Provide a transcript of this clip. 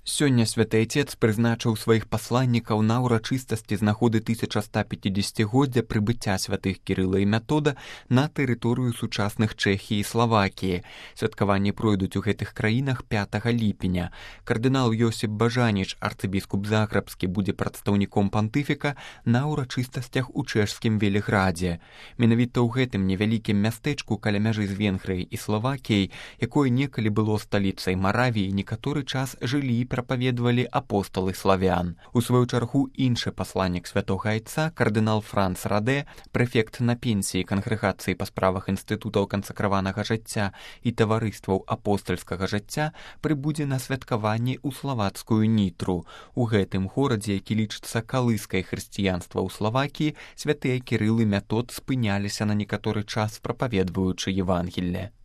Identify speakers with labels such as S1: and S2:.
S1: Сёння святы Айцец прызначыў сваіх пасланнікаў на ўрачыстасці з нагоды 1150-годдзя прыбыцця святых Кірыла і Метода на тэрыторыю сучасных Чэхіі і Славакіі. Святкаванні пройдуць у гэтых краінах 5 ліпеня. Кардынал Йосіп Бажаніч, арцыбіскуп Загрэбскі, будзе прадстаўніком пантыфіка на ўрачыстасцях у чэшскім Веліградзе. Менавіта ў гэтым невялікім мястэчку каля мяжы з Венгрыяй і Славакіяй, якое некалі было сталіцай Маравіі, некаторы час жылі і прапаведвалі апосталы славян. У сваю чаргу іншы пасланнік святога Айца, кардынал Франц Радэ, прэфект на пенсіі кангрэгацыі па справах інстытутаў кансакраванага жыцця і таварыстваў апостальскага жыцця, прыбудзе на святкаванні ў славацкую Нітру. У гэтым горадзе, які лічыцца калыскай хрысціянства ў Славакіі, святыя Кірыл і Метод спыняліся на некаторы час, прапаведваючы Евангелле.